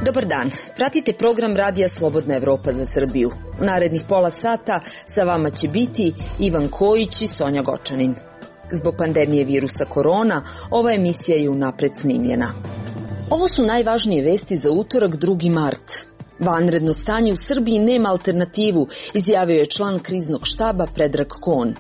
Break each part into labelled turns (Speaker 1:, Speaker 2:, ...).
Speaker 1: Dobar dan, pratite program Radija Slobodna Evropa za Srbiju. U narednih pola sata sa vama će biti Ivan Kojić i Sonja Gočanin. Zbog pandemije virusa korona, ova emisija je unapred snimljena. Ovo su najvažnije vesti za utorak 2. mart. Vanredno stanje u Srbiji nema alternativu, izjavio je član kriznog štaba Predrag Kon.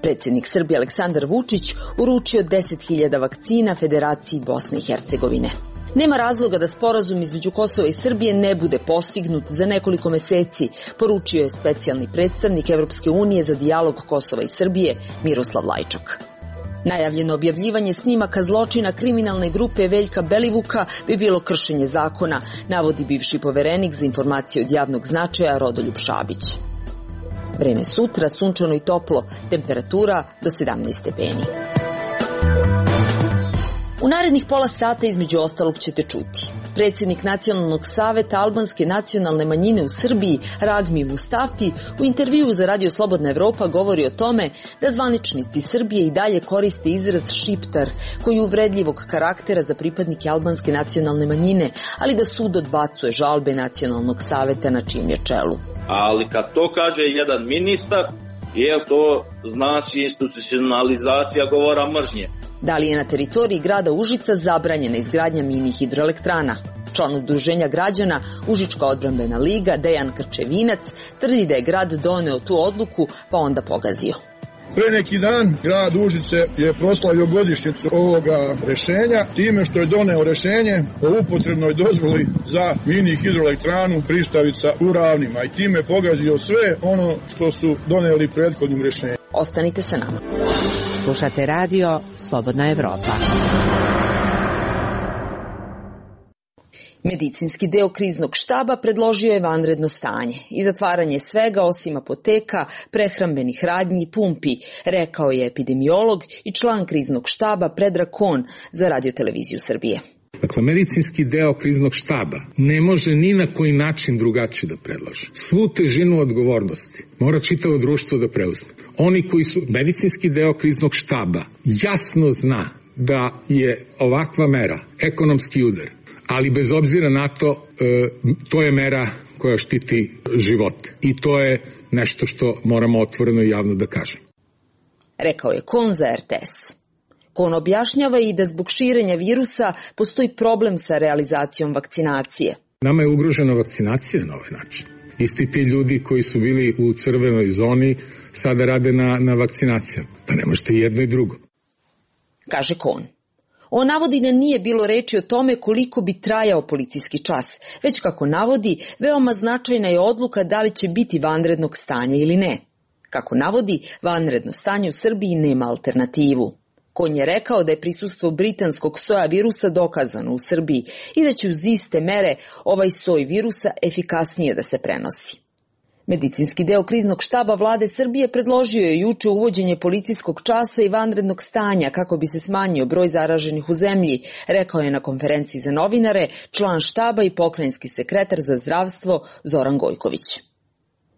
Speaker 1: Predsjednik Srbije Aleksandar Vučić uručio 10.000 vakcina Federaciji Bosne i Hercegovine. Nema razloga da sporazum između Kosova i Srbije ne bude postignut za nekoliko meseci, poručio je specijalni predstavnik Evropske unije za dijalog Kosova i Srbije Miroslav Lajčak. Najavljeno objavljivanje snimaka zločina kriminalne grupe Veljka Belivuka bi bilo kršenje zakona, navodi bivši poverenik za informacije od javnog značaja Rodoljub Šabić. Vreme sutra, sunčano i toplo, temperatura do 17 stepeni. U narednih pola sata između ostalog ćete čuti. Predsjednik Nacionalnog saveta albanske nacionalne manjine u Srbiji, Ragmi Mustafi, u intervjuu za Radio Slobodna Evropa govori o tome da zvaničnici Srbije i dalje koriste izraz šiptar, koji je uvredljivog karaktera za pripadnike albanske nacionalne manjine, ali da sud odbacuje žalbe Nacionalnog saveta na čijem je čelu.
Speaker 2: Ali kad to kaže jedan ministar, to znači institucionalizacija govora mržnje.
Speaker 1: Da li je na teritoriji grada Užica zabranjena izgradnja mini hidroelektrana? Član udruženja građana Užička odbrambena liga Dejan Krčevinac tvrdi da je grad doneo tu odluku pa onda pogazio.
Speaker 3: Pre neki dan grad Užice je proslavio godišnjicu ovoga rešenja time što je doneo rešenje o upotrebnoj dozvoli za mini hidroelektranu Prištavica u Ravnima i time pogazio sve ono što su doneli prethodnim rešenjem.
Speaker 1: Ostanite sa nama.
Speaker 4: Slušate radio Slobodna Evropa.
Speaker 1: Medicinski deo kriznog štaba predložio je vanredno stanje i zatvaranje svega osim apoteka, prehrambenih radnji i pumpi, rekao je epidemiolog i član kriznog štaba Predrag Kon za Radio-televiziju Srbije.
Speaker 5: Dakle, medicinski deo kriznog štaba ne može ni na koji način drugačije da predloži. Svu težinu odgovornosti mora čitavo društvo da preuzme. Oni koji su medicinski deo kriznog štaba jasno zna da je ovakva mera ekonomski udar, ali bez obzira na to, to je mera koja štiti život. I to je nešto što moramo otvoreno i javno da kažemo.
Speaker 1: Rekao je Kon za RTS. Kon objašnjava i da zbog širenja virusa postoji problem sa realizacijom vakcinacije.
Speaker 5: Nama je ugrožena vakcinacija na ovaj način. Isti ti ljudi koji su bili u crvenoj zoni sada rade na vakcinacijama. Pa ne možete jedno i drugo.
Speaker 1: Kaže Kon. On navodi da nije bilo reči o tome koliko bi trajao policijski čas, već kako navodi, veoma značajna je odluka da li će biti vanrednog stanja ili ne. Kako navodi, vanredno stanje u Srbiji nema alternativu. Kon je rekao da je prisustvo britanskog soja virusa dokazano u Srbiji i da će uz iste mere ovaj soj virusa efikasnije da se prenosi. Medicinski deo kriznog štaba vlade Srbije predložio je juče uvođenje policijskog časa i vanrednog stanja kako bi se smanjio broj zaraženih u zemlji, rekao je na konferenciji za novinare član štaba i pokrajinski sekretar za zdravstvo Zoran Gojković.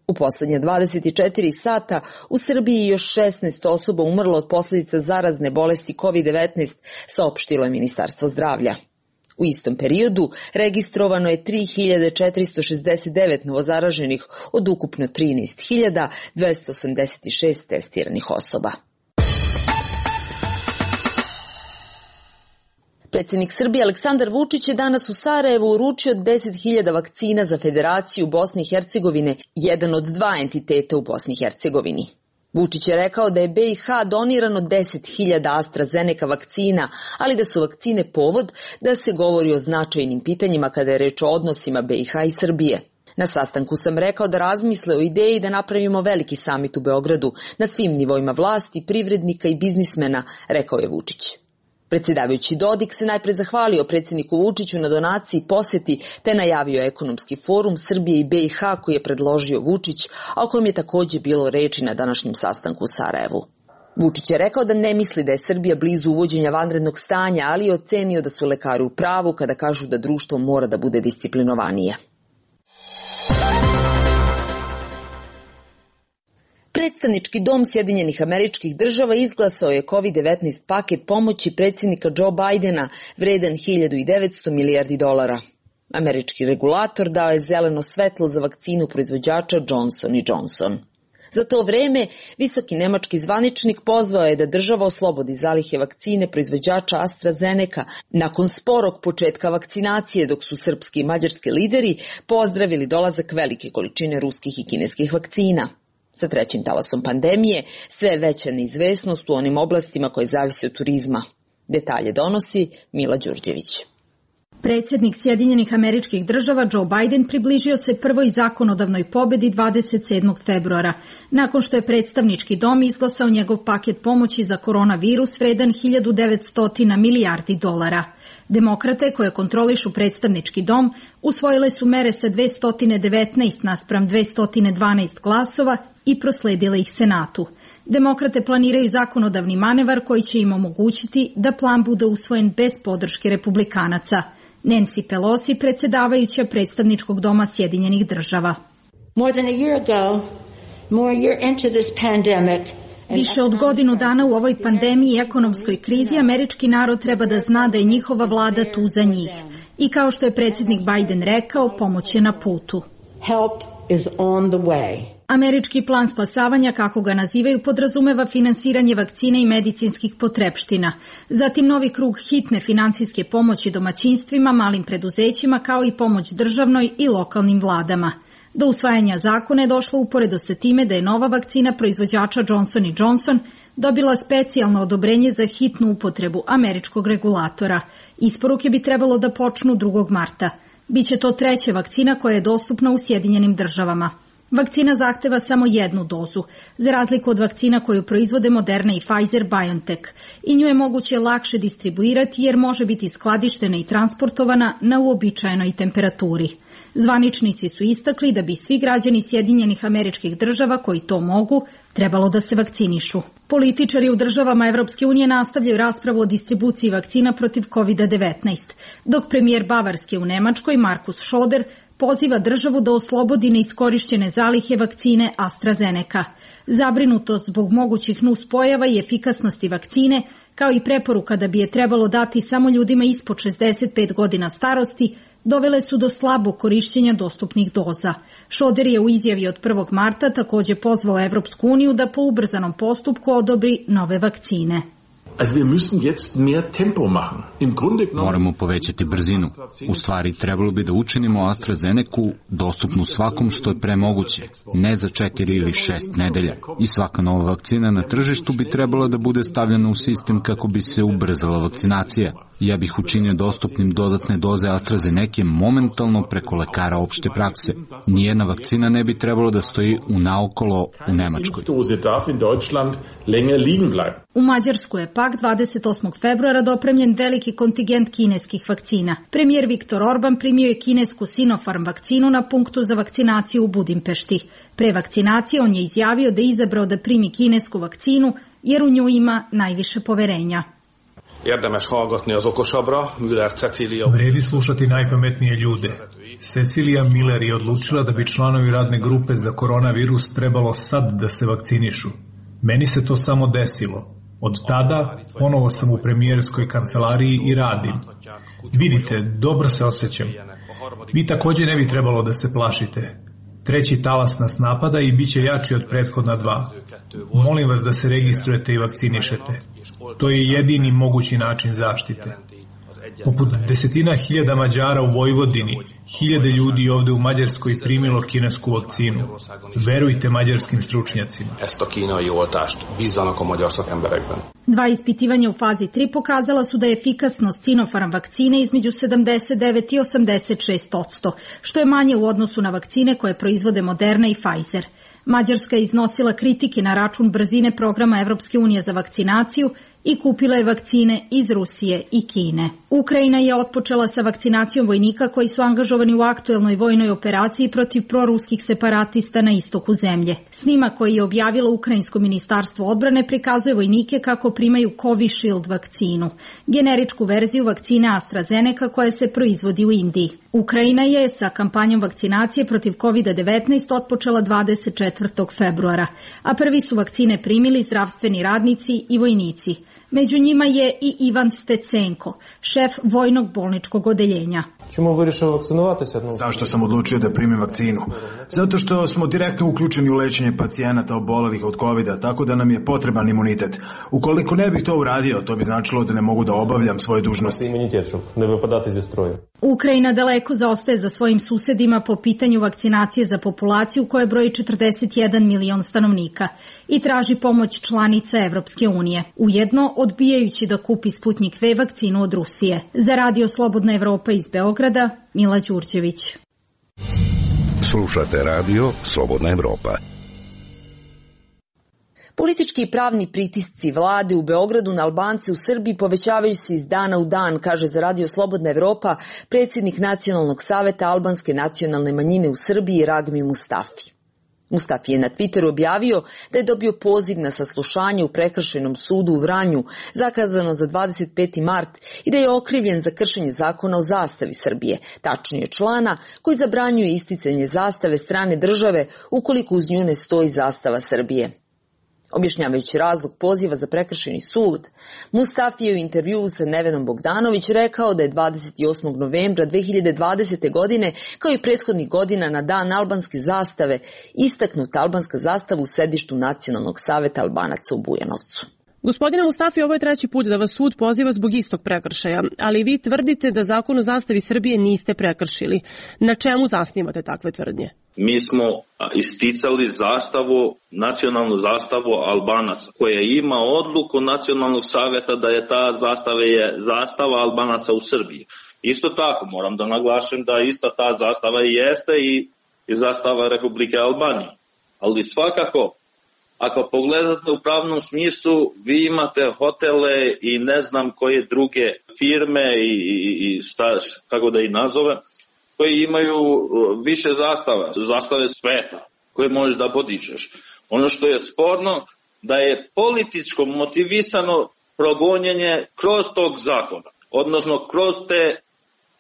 Speaker 1: U poslednje 24 sata u Srbiji je još 16 osoba umrlo od posljedica zarazne bolesti COVID-19, saopštilo je Ministarstvo zdravlja. U istom periodu registrovano je 3.469 novozaraženih od ukupno 13.286 testiranih osoba. Predsjednik Srbije Aleksandar Vučić je danas u Sarajevu uručio 10.000 vakcina za Federaciju Bosne i Hercegovine, jedan od dva entiteta u Bosni i Hercegovini. Vučić je rekao da je BiH donirano 10.000 AstraZeneca vakcina, ali da su vakcine povod da se govori o značajnim pitanjima kada je reč o odnosima BiH i Srbije. Na sastanku sam rekao da razmisle o ideji da napravimo veliki samit u Beogradu na svim nivoima vlasti, privrednika i biznismena, rekao je Vučić. Predsjedavajući Dodik se najpre zahvalio predsjedniku Vučiću na donaciji i posjeti, te najavio ekonomski forum Srbije i BiH koji je predložio Vučić, a o kojem je također bilo reči na današnjem sastanku u Sarajevu. Vučić je rekao da ne misli da je Srbija blizu uvođenja vanrednog stanja, ali je ocenio da su lekari u pravu kada kažu da društvo mora da bude disciplinovanije. Predstavnički dom Sjedinjenih Američkih Država izglasao je COVID-19 paket pomoći predsjednika Joe Bidena vredan $1.900 milijardi. Američki regulator dao je zeleno svetlo za vakcinu proizvođača Johnson & Johnson. Za to vreme, visoki nemački zvaničnik pozvao je da država oslobodi zalihe vakcine proizvođača AstraZeneca nakon sporog početka vakcinacije, dok su srpski i mađarski lideri pozdravili dolazak velike količine ruskih i kineskih vakcina. Sa trećim talasom pandemije sve je veća neizvesnost u onim oblastima koje zavise od turizma. Detalje donosi Mila Đurđević.
Speaker 6: Predsjednik Sjedinjenih Američkih Država Joe Biden približio se prvoj zakonodavnoj pobedi 27. februara, nakon što je predstavnički dom izglasao njegov paket pomoći za koronavirus vredan $1.900 milijardi. Demokrate, koje kontrolišu predstavnički dom, usvojile su mere sa 219 naspram 212 glasova i prosledile ih Senatu. Demokrate planiraju zakonodavni manevar koji će im omogućiti da plan bude usvojen bez podrške republikanaca. Nancy Pelosi, predsjedavajuća predstavničkog doma Sjedinjenih Država. Više od godinu dana u ovoj pandemiji i ekonomskoj krizi američki narod treba da zna da je njihova vlada tu za njih. I kao što je predsjednik Biden rekao, pomoć je na putu. Američki plan spasavanja, kako ga nazivaju, podrazumeva finansiranje vakcine i medicinskih potrepština. Zatim novi krug hitne finansijske pomoći domaćinstvima, malim preduzećima, kao i pomoć državnoj i lokalnim vladama. Do usvajanja zakona je došlo uporedo sa time da je nova vakcina proizvođača Johnson & Johnson dobila specijalno odobrenje za hitnu upotrebu američkog regulatora. Isporuke bi trebalo da počnu 2. marta. Biće to treća vakcina koja je dostupna u Sjedinjenim Državama. Vakcina zahteva samo jednu dozu, za razliku od vakcina koju proizvode Moderna i Pfizer-BioNTech, i nju je moguće lakše distribuirati jer može biti skladištena i transportovana na uobičajenoj temperaturi. Zvaničnici su istakli da bi svi građani Sjedinjenih Američkih Država koji to mogu trebalo da se vakcinišu. Političari u državama Evropske unije nastavljaju raspravu o distribuciji vakcina protiv COVID-19, dok premijer Bavarske u Nemačkoj Markus Söder poziva državu da oslobodi neiskorišćene zalihe vakcine AstraZeneca. Zabrinutost zbog mogućih nuspojava i efikasnosti vakcine, kao i preporuka da bi je trebalo dati samo ljudima ispod 65 godina starosti, dovele su do slabog korišćenja dostupnih doza. Söder je u izjavi od 1. marta također pozvao Evropsku uniju da po ubrzanom postupku odobri nove vakcine.
Speaker 7: Moramo povećati brzinu. U stvari, trebalo bi da učinimo AstraZenecu dostupnu svakom što je pre moguće, ne za 4 ili 6 nedelja. I svaka nova vakcina na tržištu bi trebala da bude stavljena u sistem kako bi se ubrzala vakcinacija. Ja bih učinio dostupnim dodatne doze AstraZeneca momentalno preko lekara opšte prakse. Nijedna vakcina ne bi trebalo da stoji unaokolo u Nemačkoj.
Speaker 6: U Mađarsku je pak 28. februara dopremljen veliki kontingent kineskih vakcina. Premijer Viktor Orban primio je kinesku Sinopharm vakcinu na punktu za vakcinaciju u Budimpešti. Pre vakcinacije on je izjavio da je izabrao da primi kinesku vakcinu jer u nju ima najviše poverenja.
Speaker 8: Vredi slušati najpametnije ljude. Cecilia Miller je odlučila da bi članovi radne grupe za koronavirus trebalo sad da se vakcinišu. Meni se to samo desilo. Od tada ponovo sam u premijerskoj kancelariji i radim. Vidite, dobro se osjećam. Vi također ne bi trebalo da se plašite. Treći talas nas napada i bit će jači od prethodna 2. Molim vas da se registrujete i vakcinišete. To je jedini mogući način zaštite. Poput desetina hiljada Mađara u Vojvodini, hiljade ljudi ovde u Mađarskoj primilo kinesku vakcinu. Verujte mađarskim stručnjacima.
Speaker 6: Dva ispitivanja u fazi 3 pokazala su da je efikasnost Sinopharm vakcine između 79 i 86%, što je manje u odnosu na vakcine koje proizvode Moderna i Pfizer. Mađarska je iznosila kritike na račun brzine programa Evropske unije za vakcinaciju i kupila je vakcine iz Rusije i Kine. Ukrajina je otpočela sa vakcinacijom vojnika koji su angažovani u aktuelnoj vojnoj operaciji protiv proruskih separatista na istoku zemlje. Snimak koji je objavilo Ukrajinsko ministarstvo odbrane prikazuje vojnike kako primaju Covishield vakcinu, generičku verziju vakcine AstraZeneca koja se proizvodi u Indiji. Ukrajina je sa kampanjom vakcinacije protiv COVID-19 otpočela 24. februara, a prvi su vakcine primili zdravstveni radnici i vojnici. Među njima je i Ivan Stecenko, šef vojnog bolničkog odeljenja.
Speaker 9: Zašto sam odlučio da primim vakcinu? Zato što smo direktno uključeni u lečenje pacijenata obolelih od COVID-a, tako da nam je potreban imunitet. Ukoliko ne bih to uradio, to bi značilo da ne mogu da obavljam svoje dužnosti.
Speaker 6: Ukrajina daleko zaostaje za svojim susedima po pitanju vakcinacije za populaciju koja broji 41 milion stanovnika i traži pomoć članica Evropske unije, ujedno odbijajući da kupi Sputnik V vakcinu od Rusije. Za Radio Slobodna Evropa iz Beograda, Mila Đurđević.
Speaker 10: Slušate Radio Slobodna Evropa.
Speaker 1: Politički i pravni pritisci vlade u Beogradu na Albance u Srbiji povećavaju se iz dana u dan, kaže za Radio Slobodna Evropa predsjednik Nacionalnog saveta albanske nacionalne manjine u Srbiji Ragmi Mustafi. Mustafi je na Twitteru objavio da je dobio poziv na saslušanje u Prekršajnom sudu u Vranju, zakazano za 25. mart, i da je okrivljen za kršenje zakona o zastavi Srbije, tačnije člana koji zabranjuje isticanje zastave strane države ukoliko uz nju ne stoji zastava Srbije. Objašnjavajući razlog poziva za prekršajni sud, Mustafi je u intervjuu sa Nevenom Bogdanović rekao da je 28. novembra 2020. godine, kao i prethodnih godina na dan albanske zastave, istaknuta albanska zastava u sedištu Nacionalnog saveta Albanaca u Bujanovcu.
Speaker 11: Gospodine Mustafi, ovo je treći put da vas sud poziva zbog istog prekršaja, ali vi tvrdite da zakon o zastavi Srbije niste prekršili. Na čemu zasnivate takve tvrdnje?
Speaker 2: Mi smo isticali zastavu, nacionalnu zastavu Albanaca, koja ima odluku Nacionalnog savjeta da je ta zastava Albanaca u Srbiji. Isto tako, moram da naglašem da ista ta zastava jeste i zastava Republike Albanije. Ali svakako, ako pogledate u pravnom smislu, vi imate hotele i ne znam koje druge firme i kako da ih nazove, koji imaju više zastave sveta, koje možeš da podižeš. Ono što je sporno, da je političko motivisano progonjenje kroz tog zakona, odnosno kroz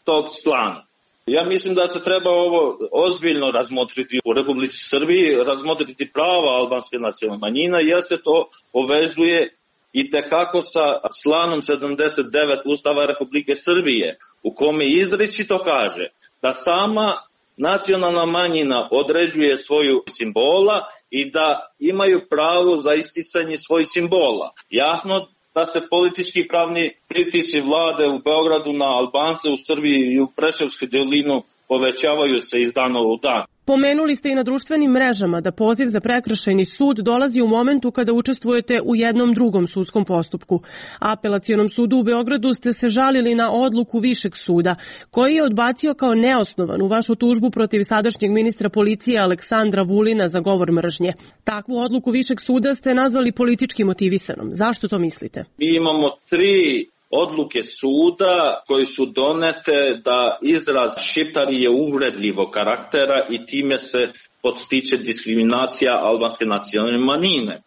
Speaker 2: tog člana. Ja mislim da se treba ovo ozbiljno razmotriti u Republici Srbiji, razmotriti prava albanske nacionalne manjine, jer se to povezuje i tekako sa članom 79 Ustava Republike Srbije, u kome izričito kaže da sama nacionalna manjina određuje svoju simbola i da imaju pravo za isticanje svojih simbola. Jasno da se politički i pravni pritisci vlade u Beogradu na Albance u Srbiji i u Preševskoj dolinu povećavaju se iz dana u dan.
Speaker 11: Pomenuli ste i na društvenim mrežama da poziv za prekršajni sud dolazi u momentu kada učestvujete u jednom drugom sudskom postupku. Apelacionom sudu u Beogradu ste se žalili na odluku Višeg suda, koji je odbacio kao neosnovanu vašu tužbu protiv sadašnjeg ministra policije Aleksandra Vulina za govor mržnje. Takvu odluku Višeg suda ste nazvali politički motivisanom. Zašto to mislite?
Speaker 2: Mi imamo 3 odluke suda koji su donete da izraz šiptari je uvredljivog karaktera i time se podstiče diskriminacija albanske nacionalne manjine.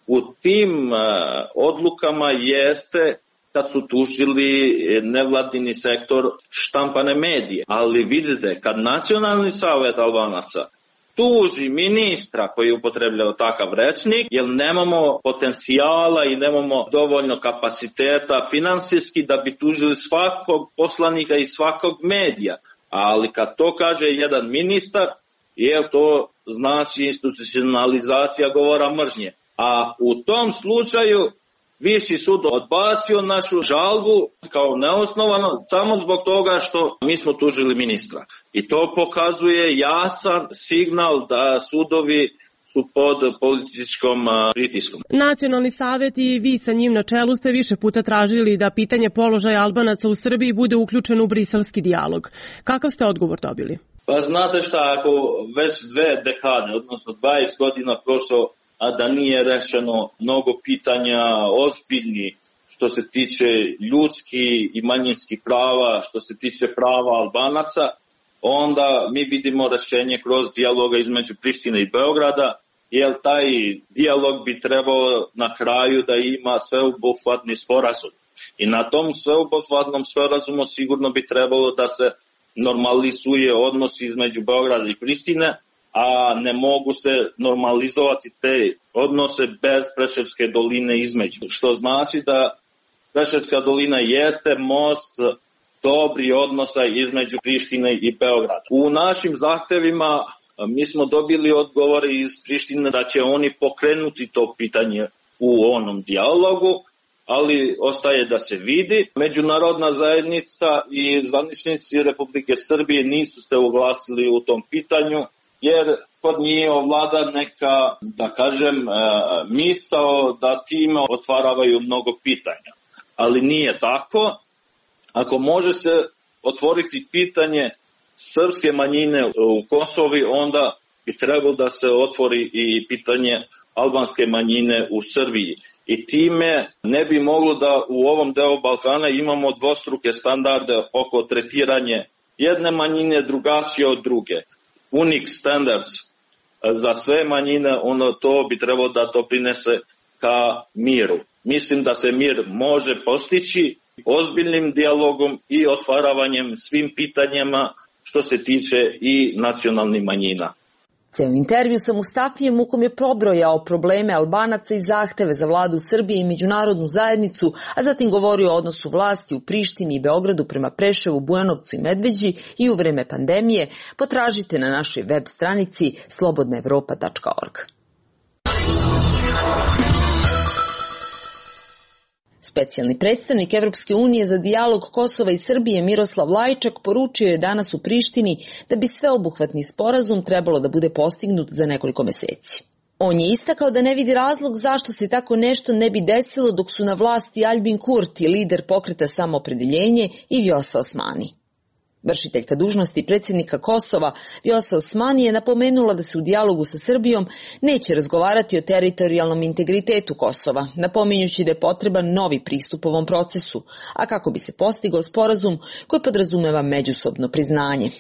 Speaker 2: U tim odlukama jeste kad su tužili nevladini sektor štampane medije. Ali vidite, kad Nacionalni savjet Albanaca tuži ministra koji je upotrebljao takav rečnik, jer nemamo potencijala i nemamo dovoljno kapaciteta finansijski da bi tužili svakog poslanika i svakog medija. Ali kad to kaže jedan ministar, to znači institucionalizacija govora mržnje. A u tom slučaju Viši sud odbacio našu žalbu kao neosnovano samo zbog toga što mi smo tužili ministra. I to pokazuje jasan signal da sudovi su pod političkom pritiskom.
Speaker 11: Nacionalni savjet i vi sa njim na čelu ste više puta tražili da pitanje položaja Albanaca u Srbiji bude uključeno u briselski dijalog. Kakav ste odgovor dobili?
Speaker 2: Pa znate šta, ako već 2 dekade, odnosno 20 godina prošlo, a da nije rešeno mnogo pitanja ozbiljni što se tiče ljudskih i manjinskih prava, što se tiče prava Albanaca, onda mi vidimo rešenje kroz dijaloga između Prištine i Beograda, jer taj dijalog bi trebao na kraju da ima sveobuhvatni sporazum. I na tom sveobuhvatnom sporazumu sigurno bi trebalo da se normalizuje odnos između Beograda i Prištine, a ne mogu se normalizovati te odnose bez Preševske doline između. Što znači da Preševska dolina jeste most dobri odnosa između Prištine i Beograda. U našim zahtevima mi smo dobili odgovore iz Prištine da će oni pokrenuti to pitanje u onom dijalogu, ali ostaje da se vidi. Međunarodna zajednica i zvaničnici Republike Srbije nisu se oglasili u tom pitanju, jer kod njih ovlada neka, da kažem, misao da time otvaravaju mnogo pitanja. Ali nije tako. Ako može se otvoriti pitanje srpske manjine u Kosovi, onda bi trebalo da se otvori i pitanje albanske manjine u Srbiji. I time ne bi moglo da u ovom delu Balkana imamo dvostruke standarde oko tretiranje jedne manjine drugačije od druge. Unique standards za sve manjine, ono to bi trebalo da to prinese ka miru. Mislim da se mir može postići ozbiljnim dijalogom i otvaravanjem svim pitanjima što se tiče i nacionalnih manjina.
Speaker 1: Ceo intervju sa Mustafijem u kom je probrojao probleme Albanaca i zahteve za vladu Srbije i međunarodnu zajednicu, a zatim govorio o odnosu vlasti u Prištini i Beogradu prema Preševu, Bujanovcu i Medveđi i u vreme pandemije, potražite na našoj web stranici slobodnaevropa.org. Specijalni predstavnik Evropske unije za dijalog Kosova i Srbije Miroslav Lajčak poručio je danas u Prištini da bi sveobuhvatni sporazum trebalo da bude postignut za nekoliko meseci. On je istakao da ne vidi razlog zašto se tako nešto ne bi desilo dok su na vlasti Aljbin Kurti, lider pokreta Samoopredeljenje, i Vjosa Osmani. Vršiteljka dužnosti predsjednika Kosova Vjosa Osmani je napomenula da se u dijalogu sa Srbijom neće razgovarati o teritorijalnom integritetu Kosova, napominjući da je potreban novi pristup ovom procesu, a kako bi se postigao sporazum koji podrazumeva međusobno priznanje.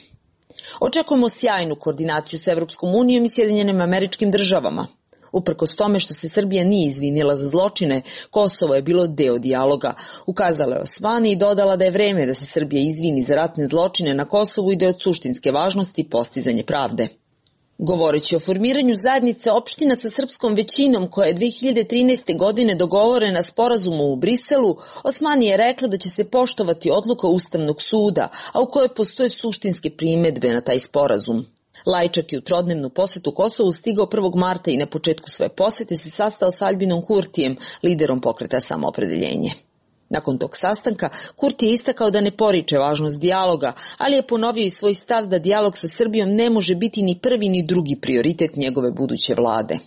Speaker 1: Očekujemo sjajnu koordinaciju s Evropskom unijom i Sjedinjenim Američkim Državama. Uprkos tome što se Srbija nije izvinila za zločine, Kosovo je bilo deo dijaloga, ukazala je Osmani i dodala da je vreme da se Srbija izvini za ratne zločine na Kosovu i da je od suštinske važnosti postizanje pravde. Govoreći o formiranju zajednice opština sa srpskom većinom koja je 2013. godine dogovorena sporazumu u Briselu, Osmani je rekla da će se poštovati odluka Ustavnog suda, a u kojoj postoje suštinske primedbe na taj sporazum. Lajčak je u trodnevnu posetu Kosovu stigao 1. marta i na početku svoje posete se sastao s Aljbinom Kurtijem, liderom pokreta Samoopredeljenje. Nakon tog sastanka, Kurti je istakao da ne poriče važnost dijaloga, ali je ponovio i svoj stav da dijalog sa Srbijom ne može biti ni prvi ni drugi prioritet njegove buduće vlade.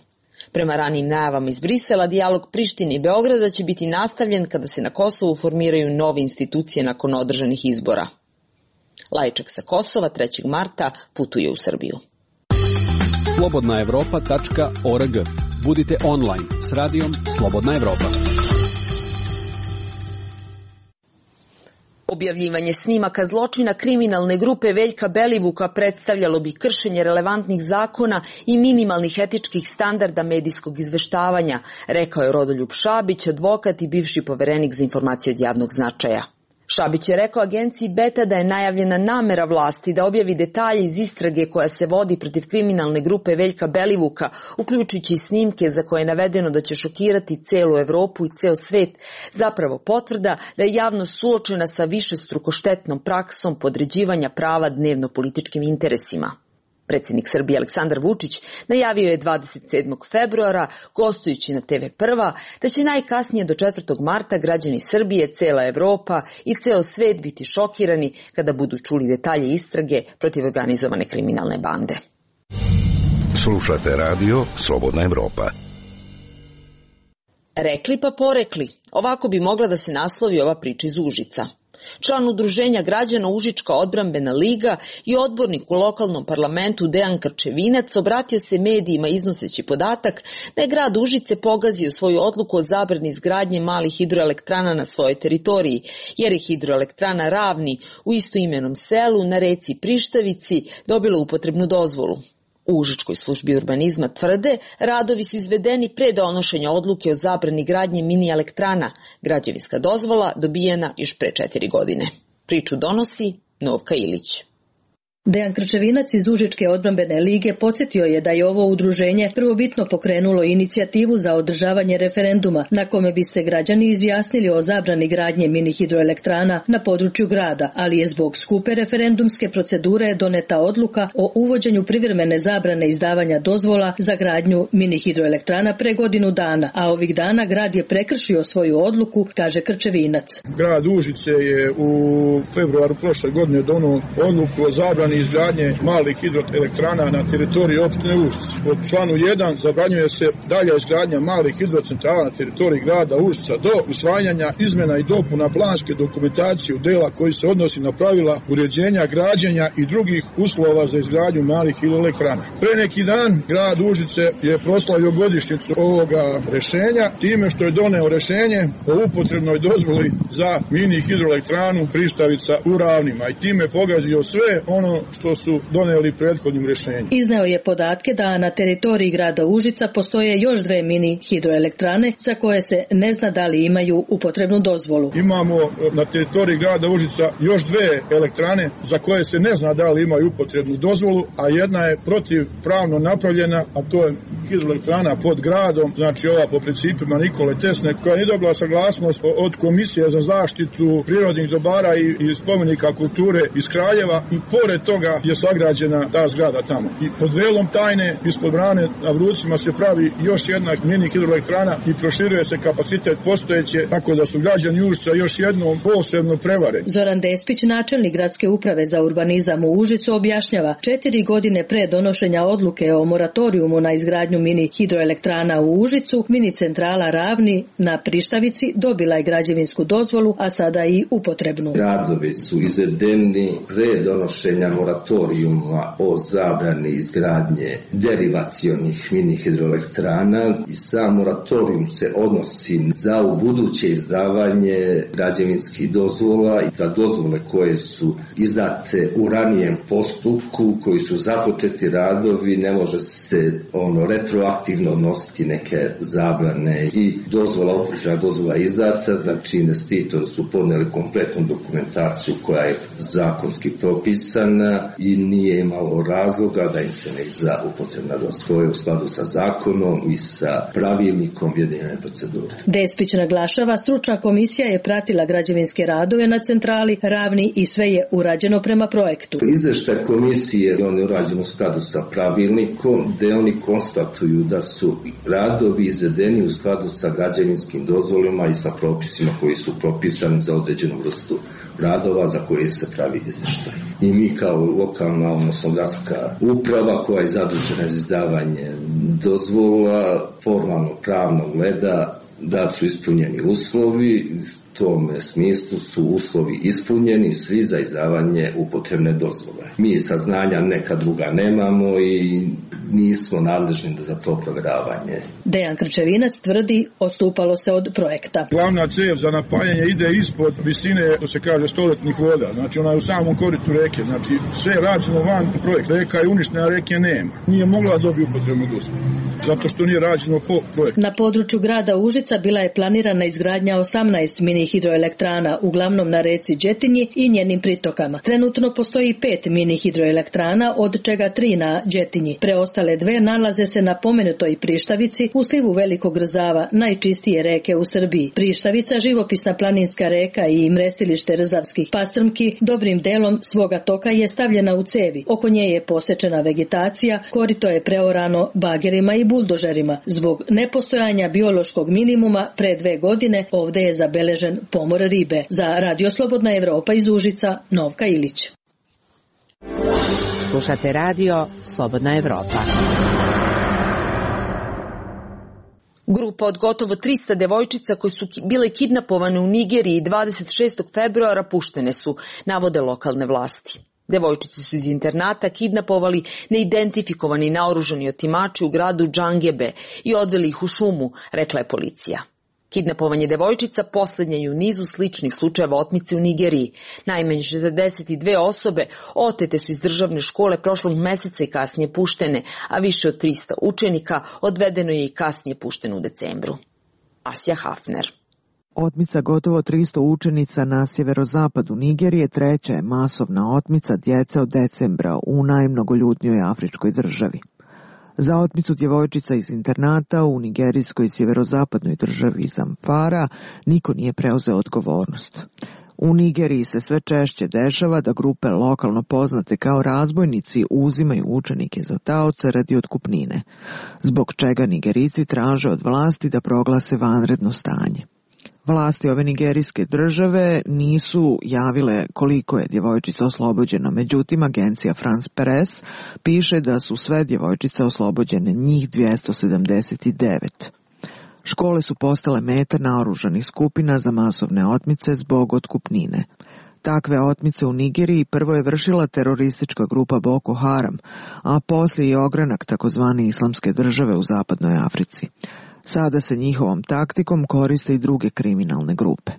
Speaker 1: Prema ranijim najavama iz Brisela, dijalog Prištine i Beograda će biti nastavljen kada se na Kosovu formiraju nove institucije nakon održanih izbora. Lajčak sa Kosova 3. marta putuje u Srbiju.
Speaker 12: Slobodnaevropa.org. Budite online s radijom Slobodna Evropa.
Speaker 1: Objavljivanje snimaka zločina kriminalne grupe Veljka Belivuka predstavljalo bi kršenje relevantnih zakona i minimalnih etičkih standarda medijskog izveštavanja, rekao je Rodoljub Šabić, advokat i bivši poverenik za informacije od javnog značaja. Šabić je rekao agenciji Beta da je najavljena namera vlasti da objavi detalje iz istrage koja se vodi protiv kriminalne grupe Veljka Belivuka, uključujući snimke za koje je navedeno da će šokirati celu Evropu i ceo svet, zapravo potvrda da je javnost suočena sa višestruko štetnom praksom podređivanja prava dnevno-političkim interesima. Predsjednik Srbije Aleksandar Vučić najavio je 27. februara, gostujući na TV Prva, da će najkasnije do 4. marta građani Srbije, cela Evropa i ceo svet biti šokirani kada budu čuli detalje istrage protiv organizovane kriminalne bande.
Speaker 10: Slušate radio Slobodna Evropa.
Speaker 1: Rekli pa porekli, ovako bi mogla da se naslovi ova priča iz Užica. Član udruženja građana Užička odbrambena liga i odbornik u lokalnom parlamentu Dejan Krčevinac obratio se medijima iznoseći podatak da je grad Užice pogazio svoju odluku o zabrani izgradnje malih hidroelektrana na svojoj teritoriji, jer je hidroelektrana Ravni u istoimenom selu na reci Prištavici dobila upotrebnu dozvolu. U Užičkoj službi urbanizma tvrde, radovi su izvedeni pre donošenja odluke o zabrani gradnje mini elektrana, građevinska dozvola dobijena još pre 4 godine. Priču donosi Novka Ilić.
Speaker 13: Dejan Krčevinac iz Užičke odbrambene lige podsjetio je da je ovo udruženje prvobitno pokrenulo inicijativu za održavanje referenduma na kome bi se građani izjasnili o zabrani gradnje mini hidroelektrana na području grada, ali je zbog skupe referendumske procedure doneta odluka o uvođenju privremene zabrane izdavanja dozvola za gradnju mini hidroelektrana pre godinu dana, a ovih dana grad je prekršio svoju odluku, kaže Krčevinac.
Speaker 3: Grad Užice je u februaru prošle godine donio odluku o zabrani izgradnje malih hidroelektrana na teritoriji opštine Užice. Po članu 1 zabranjuje se dalja izgradnja malih hidrocentrala na teritoriji grada Užica do usvajanja izmena i dopuna planske dokumentacije u dela koji se odnosi na pravila uređenja, građenja i drugih uslova za izgradnju malih hidroelektrana. Pre neki dan grad Užice je proslavio godišnjicu ovoga rešenja time što je doneo rešenje o upotrebnoj dozvoli za mini hidroelektranu Prištavica u Ravnima i time pogazio sve ono što su doneli prethodnim rešenjem.
Speaker 13: Izneo je podatke da na teritoriji grada Užica postoje još 2 mini hidroelektrane za koje se ne zna da li imaju upotrebnu dozvolu.
Speaker 3: Imamo na teritoriji grada Užica još 2 elektrane za koje se ne zna da li imaju upotrebnu dozvolu, a jedna je protivpravno napravljena, a to je hidroelektrana pod gradom, znači ova po principima Nikole Tesne, koja nije dobila saglasnost od Komisije za zaštitu prirodnih dobara i spomenika kulture iz Kraljeva i pored toga je sagrađena ta zgrada tamo. I pod velom tajne ispod brane na Vrucima se pravi još jedna mini hidroelektrana i proširuje se kapacitet postojeće, tako da su građani Užica još jednom posebno prevareni.
Speaker 13: Zoran Despić, načelnik gradske uprave za urbanizam u Užicu, objašnjava 4 godine pre donošenja odluke o moratorijumu na izgradnju mini hidroelektrana u Užicu, mini centrala Ravni na Prištavici dobila je građevinsku dozvolu, a sada i upotrebnu.
Speaker 14: Radovi su izvedeni pre donošenja moratorijuma o zabrani izgradnje derivacionih mini hidroelektrana i sam moratorijum se odnosi za ubuduće izdavanje građevinskih dozvola i za dozvole koje su izdate u ranijem postupku, koji su započeti radovi, ne može se retroaktivno odnositi neke zabrane i dozvola, upotrebna dozvola izdata, znači investitori su podneli kompletnu dokumentaciju koja je zakonski propisana i nije imalo razloga da im se ne izda upotrebna dozvola u skladu sa zakonom i sa pravilnikom objedinjene procedure.
Speaker 13: Despić naglašava, stručna komisija je pratila građevinske radove na centrali Ravni i sve je urađeno prema projektu.
Speaker 14: Izveštaj komisije on je urađen u skladu sa pravilnikom, gde oni konstatuju da su radovi izvedeni u skladu sa građevinskim dozvolima i sa propisima koji su propisani za određenu vrstu radova za koje se pravi izveštaj. I mi kao lokalna, odnosno gradska uprava koja je zadužena za izdavanje dozvola, formalno pravno gleda da su ispunjeni uslovi. U tome smislu su uslovi ispunjeni svi za izdavanje upotrebne dozvole. Mi saznanja neka druga nemamo i nismo nadležni za to provjeravanje.
Speaker 13: Dejan Krčevinac tvrdi odstupalo se od projekta.
Speaker 3: Glavna cev za napajanje ide ispod visine, to se kaže, stoletnih voda. Znači ona je u samom koritu reke. Znači sve je rađeno van projekta. Reka je uništena, reke nema. Nije mogla dobiti upotrebnu dozvolu. Zato što nije rađeno po projektu.
Speaker 13: Na području grada Užica bila je planirana izgradnja 18 mini hidroelektrana, uglavnom na reci Đetinji i njenim pritokama. Trenutno postoji 5 mini hidroelektrana, od čega 3 na Đetinji. Preostale 2 nalaze se na pomenutoj Prištavici u slivu Velikog Rzava, najčistije reke u Srbiji. Prištavica, živopisna planinska reka i mrestilište rzavskih pastrmki, dobrim delom svoga toka je stavljena u cevi. Oko nje je posečena vegetacija, korito je preorano bagerima i buldožerima. Zbog nepostojanja biološkog minimuma pre 2 godine ovde je zabeležen pomor ribe. Za Radio Slobodna Evropa iz Užica, Novka Ilić.
Speaker 4: Slušate Radio Slobodna Evropa.
Speaker 1: Grupa od gotovo 300 devojčica koje su bile kidnapovane u Nigeriji 26. februara puštene su, navode lokalne vlasti. Devojčice su iz internata kidnapovali neidentifikovani naoružani otimači u gradu Džangebe i odveli ih u šumu, rekla je policija. Kidnapovanje devojčica poslednja je u nizu sličnih slučajeva otmice u Nigeriji. Najmanje 42 osobe otete su iz državne škole prošlog meseca i kasnije puštene, a više od 300 učenika odvedeno je i kasnije pušteno u decembru. Asja Hafner.
Speaker 15: Otmica gotovo 300 učenica na sjeverozapadu Nigerije treća je masovna otmica djece od decembra u najmnogoljudnijoj afričkoj državi. Za otmicu djevojčica iz internata u nigerijskoj sjeverozapadnoj državi Zamfara niko nije preuzeo odgovornost. U Nigeriji se sve češće dešava da grupe lokalno poznate kao razbojnici uzimaju učenike za taoce radi otkupnine, zbog čega Nigerici traže od vlasti da proglase vanredno stanje. Vlasti ove nigerijske države nisu javile koliko je djevojčica oslobođeno, međutim agencija France Press piše da su sve djevojčice oslobođene, njih 279. Škole su postale meta naoružanih skupina za masovne otmice zbog otkupnine. Takve otmice u Nigeriji prvo je vršila teroristička grupa Boko Haram, a poslije i ogranak takozvane islamske države u zapadnoj Africi. Sada se njihovom taktikom koriste i druge kriminalne grupe.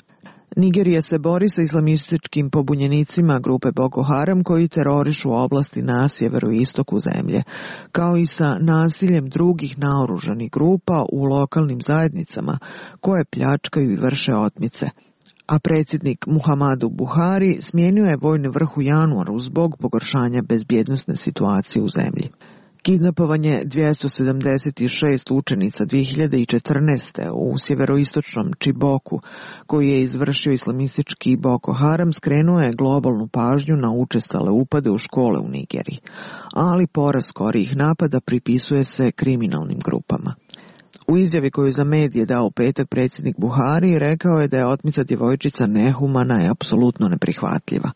Speaker 15: Nigerija se bori sa islamističkim pobunjenicima grupe Boko Haram koji terorišu oblasti na sjeveru i istoku zemlje, kao i sa nasiljem drugih naoružanih grupa u lokalnim zajednicama koje pljačkaju i vrše otmice. A predsjednik Muhammadu Buhari smijenio je vojni vrh u januaru zbog pogoršanja bezbjednosne situacije u zemlji. Kidnapovanje 276 učenica 2014. u sjeveroistočnom Čiboku, koji je izvršio islamistički Boko Haram, skrenuo je globalnu pažnju na učestale upade u škole u Nigeriji, ali porast skorijih napada pripisuje se kriminalnim grupama. U izjavi koju za medije dao u petak predsjednik Buhari rekao je da je otmica djevojčica nehumana i apsolutno neprihvatljiva.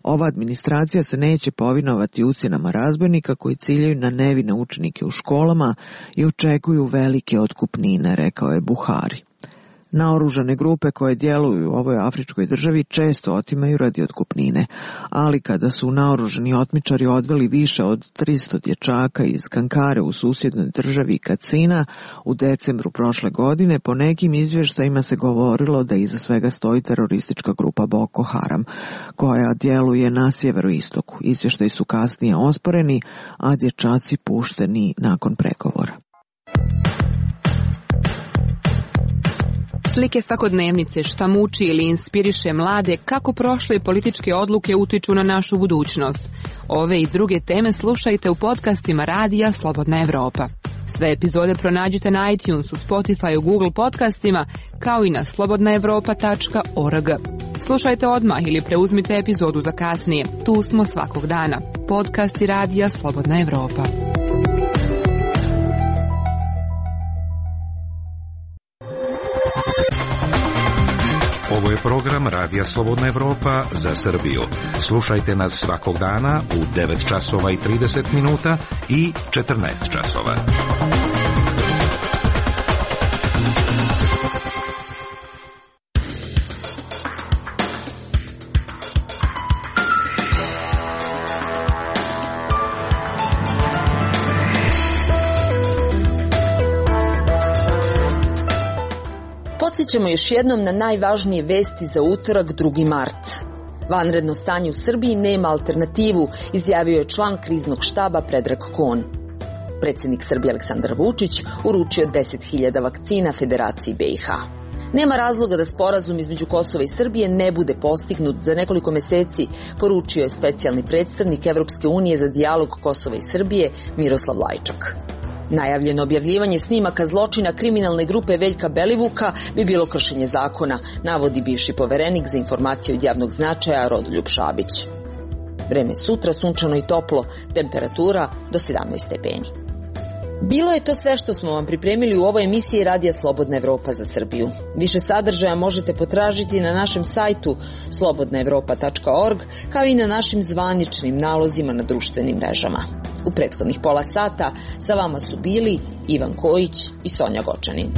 Speaker 15: Ova administracija se neće povinovati ucjenama razbojnika koji ciljaju na nevine učenike u školama i očekuju velike otkupnine, rekao je Buhari. Naoružane grupe koje djeluju u ovoj afričkoj državi često otimaju radi otkupnine, ali kada su naoružani otmičari odveli više od 300 dječaka iz Kankare u susjednoj državi Katsina u decembru prošle godine, po nekim izvještajima se govorilo da iza svega stoji teroristička grupa Boko Haram, koja djeluje na sjeveroistoku. Izvještaji su kasnije osporeni, a dječaci pušteni nakon pregovora.
Speaker 16: Slike svakodnevnice, šta muči ili inspiriše mlade, kako prošle političke odluke utiču na našu budućnost. Ove i druge teme slušajte u podcastima Radija Slobodna Evropa. Sve epizode pronađite na iTunesu, Spotifyu, Google podcastima, kao i na slobodnaevropa.org. Slušajte odmah ili preuzmite epizodu za kasnije. Tu smo svakog dana. Podcasti Radija Slobodna Evropa.
Speaker 10: Ovo je program Radija Slobodna Evropa za Srbiju. Slušajte nas svakog dana u 9 časova i 30 minuta i 14 časova.
Speaker 1: Podsjećamo još jednom na najvažnije vesti za utorak 2. mart. Vanredno stanje u Srbiji nema alternativu, izjavio je član kriznog štaba Predrag Kon. Predsjednik Srbije Aleksandar Vučić uručio 10.000 vakcina Federaciji BiH. Nema razloga da sporazum između Kosova i Srbije ne bude postignut za nekoliko mjeseci, poručio je specijalni predstavnik Evropske unije za dijalog Kosova i Srbije Miroslav Lajčak. Najavljeno objavljivanje snimaka zločina kriminalne grupe Veljka Belivuka bi bilo kršenje zakona, navodi bivši poverenik za informacije od javnog značaja Rodoljub Šabić. Vreme sutra sunčano i toplo, temperatura do 17 stepeni. Bilo je to sve što smo vam pripremili u ovoj emisiji Radija Slobodna Evropa za Srbiju. Više sadržaja možete potražiti na našem sajtu slobodnaevropa.org, kao i na našim zvaničnim nalozima na društvenim mrežama. U prethodnih pola sata sa vama su bili Ivan Kojić i Sonja Gočanin.